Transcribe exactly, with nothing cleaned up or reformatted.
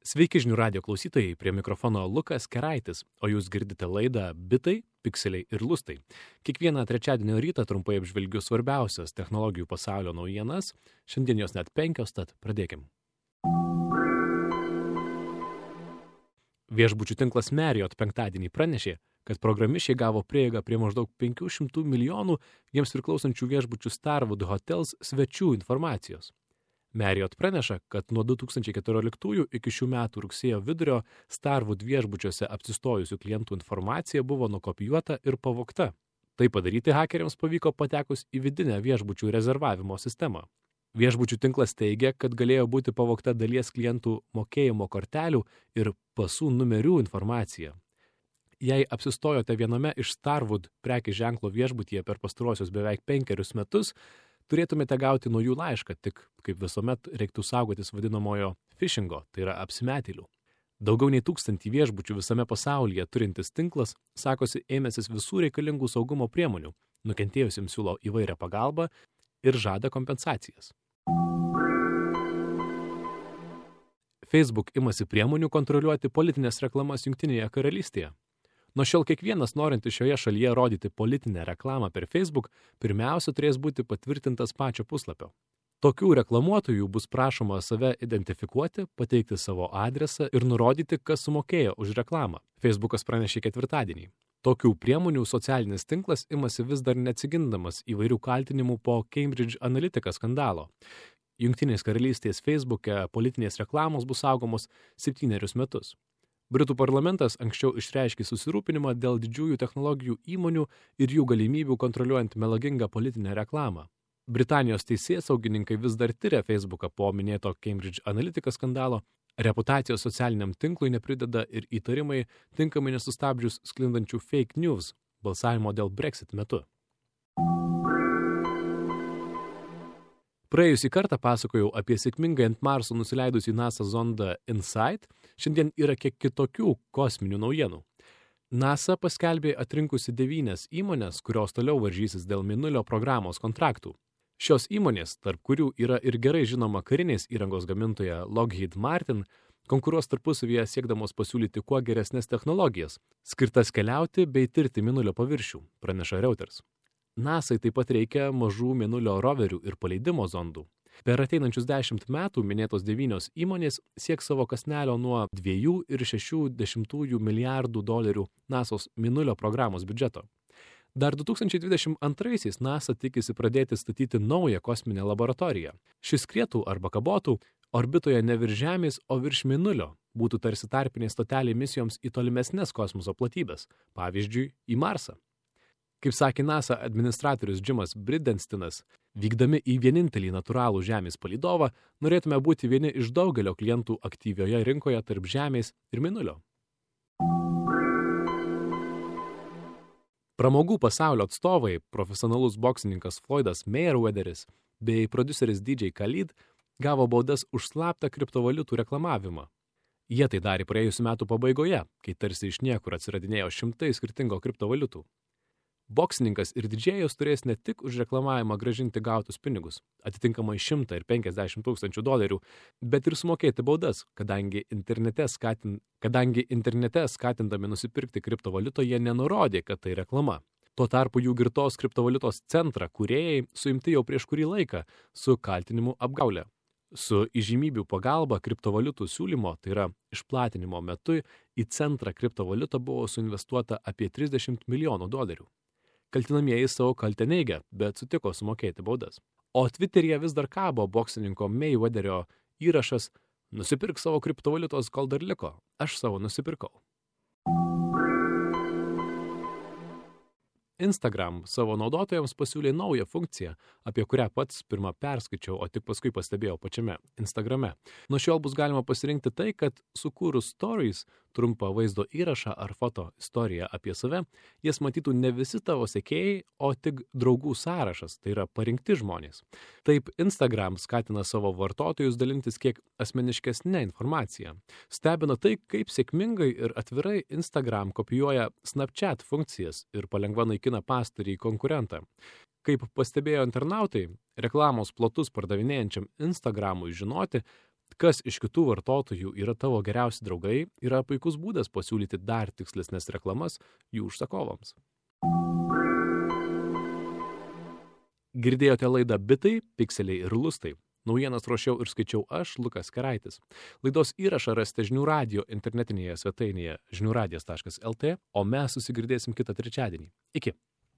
Sveiki žinių radio klausytojai, prie mikrofono Lukas Keraitis, o jūs girdite laidą Bitai, Pikseliai ir Lustai. Kiekvieną trečiadienio rytą trumpai apžvelgiu svarbiausias technologijų pasaulio naujienas, šiandien jos net penkios, tad pradėkim. Viešbučių tinklas Marriott penktadienį pranešė, kad programišiai gavo prieigą prie maždaug penkių šimtų milijonų jiems priklausančių viešbučių Starwood Hotels svečių informacijos. Marriott praneša, kad nuo du tūkstančiai keturioliktųjų iki šių metų rugsėjo vidurio Starwood viešbučiuose apsistojusių klientų informacija buvo nukopijuota ir pavogta. Tai padaryti hakeriams pavyko patekus į vidinę viešbučių rezervavimo sistemą. Viešbučių tinklas teigia, kad galėjo būti pavogta dalies klientų mokėjimo kortelių ir pasų numerių informacija. Jei apsistojote viename iš Starwood prekės ženklo viešbutyje per pastaruosius beveik penkerius metus, turėtumėte gauti nuo jų laišką, tik kaip visuomet reiktų saugotis vadinamojo phishingo, tai yra apsimetėlių. Daugiau nei tūkstantį viešbučių visame pasaulyje turintis tinklas sakosi ėmęsis visų reikalingų saugumo priemonių, nukentėjusiems siūlo įvairią pagalbą ir žada kompensacijas. Facebook imasi priemonių kontroliuoti politinės reklamas Jungtinėje karalystėje. Nuo šiol kiekvienas norintis šioje šalyje rodyti politinę reklamą per Facebook pirmiausia turės būti patvirtintas pačio puslapio. Tokių reklamuotojų bus prašoma save identifikuoti, pateikti savo adresą ir nurodyti, kas sumokėjo už reklamą. Facebookas pranešė ketvirtadienį. Tokių priemonių socialinis tinklas imasi vis dar neatsigindamas įvairių kaltinimų po Cambridge Analytica skandalo. Jungtinės karalystės Facebook'e politinės reklamos bus saugomos septynerius metus. Britų parlamentas anksčiau išreiškė susirūpinimą dėl didžiųjų technologijų įmonių ir jų galimybių kontroliuojant melagingą politinę reklamą. Britanijos teisėsaugininkai vis dar tiria Facebooką po minėto Cambridge Analytica skandalo. Reputacijos socialiniam tinklui neprideda ir įtarimai tinkamai nesustabdžius sklindančių fake news balsavimo dėl Brexit metu. Praėjusį kartą pasakojau apie sėkmingai ant Marso nusileidusį NASA zondą InSight, šiandien yra kiek kitokių kosminių naujienų. NASA paskelbė atrinkusi devynias įmonės, kurios toliau varžysis dėl Mėnulio programos kontraktų. Šios įmonės, tarp kurių yra ir gerai žinoma karinės įrangos gamintoja Lockheed Martin, konkuruos tarpusavyje siekdamos pasiūlyti kuo geresnes technologijas, skirtas keliauti bei tirti Mėnulio paviršių, praneša Reuters. NASA'ai taip pat reikia mažų Mėnulio roverių ir paleidimo zondų. Per ateinančius dešimt metų minėtos devynios įmonės sieks savo kąsnelio nuo dviejų ir šešių dešimtųjų milijardų dolerių NASA'os Mėnulio programos biudžeto. Dar du tūkstančiai dvidešimt antraisiais NASA tikisi pradėti statyti naują kosminę laboratoriją. Šis skrietų arba kabotų orbitoje ne virš Žemės, o virš Mėnulio, būtų tarsi tarpinė stotelė misijoms į tolimesnes kosmoso platybes, pavyzdžiui, į Marsą. Kaip sakė NASA administratorius Jimas Bridenstinas, vykdami į vienintelį natūralų Žemės palydovą, norėtume būti vieni iš daugelio klientų aktyvioje rinkoje tarp Žemės ir Mėnulio. Pramogų pasaulio atstovai, profesionalus boksininkas Floydas Mayweatheris bei prodiuseris D J Khaled gavo baudas už slaptą kriptovaliutų reklamavimą. Jie tai darė praėjusių metų pabaigoje, kai tarsi iš niekur atsiradinėjo šimtai skirtingo kriptovaliutų. Boksininkas ir didžėjus turės ne tik už reklamavimą grąžinti gautus pinigus, atitinkamai šimtą ir penkiasdešimt tūkstančių dolerių, bet ir sumokėti baudas, kadangi internete, skatin, kadangi internete skatindami nusipirkti kriptovaliutą jie nenurodė, kad tai reklama. Tuo tarpu jų girtos kriptovaliutos centrą kūrėjai suimti jau prieš kurį laiką su kaltinimu apgaulė. Su įžymybių pagalba kriptovaliutų siūlymo, tai yra išplatinimo metu, į centrą kriptovaliutą buvo suinvestuota apie trisdešimt milijonų dolerių. Kaltinamieji savo kaltę neigia, bet sutiko sumokėti baudas. O Twitteryje vis dar kabo boksininko Mayweatherio įrašas "Nusipirk savo kriptovaliutos, kol dar liko. Aš savo nusipirkau." Instagram savo naudotojams pasiūlė naują funkciją, apie kurią pats pirmą perskaičiau, o tik paskui pastebėjau pačiame Instagrame. Nuo šiol bus galima pasirinkti tai, kad sukūrus stories, trumpą vaizdo įrašą ar foto istoriją apie save, jas matytų ne visi tavo sekėjai, o tik draugų sąrašas, tai yra parinkti žmonės. Taip Instagram skatina savo vartotojus dalintis kiek asmeniškesnę informaciją. Stebina tai, kaip sėkmingai ir atvirai Instagram kopijuoja Snapchat funkcijas ir palengva naikina pastarį konkurentą. Kaip pastebėjo internautai, reklamos plotus pardavinėjančiam Instagramui žinoti, kas iš kitų vartotojų yra tavo geriausi draugai, yra puikus būdas pasiūlyti dar tikslesnės reklamas jų užsakovams. Girdėjote laidą Bitai, pikseliai ir lustai. Naujienas ruošiau ir skaičiau aš, Lukas Keraitis. Laidos įrašą rasite Žinių radijo internetinėje svetainėje žinių radijas taškas el tė, o mes susigirdėsim kitą trečiadienį. Iki.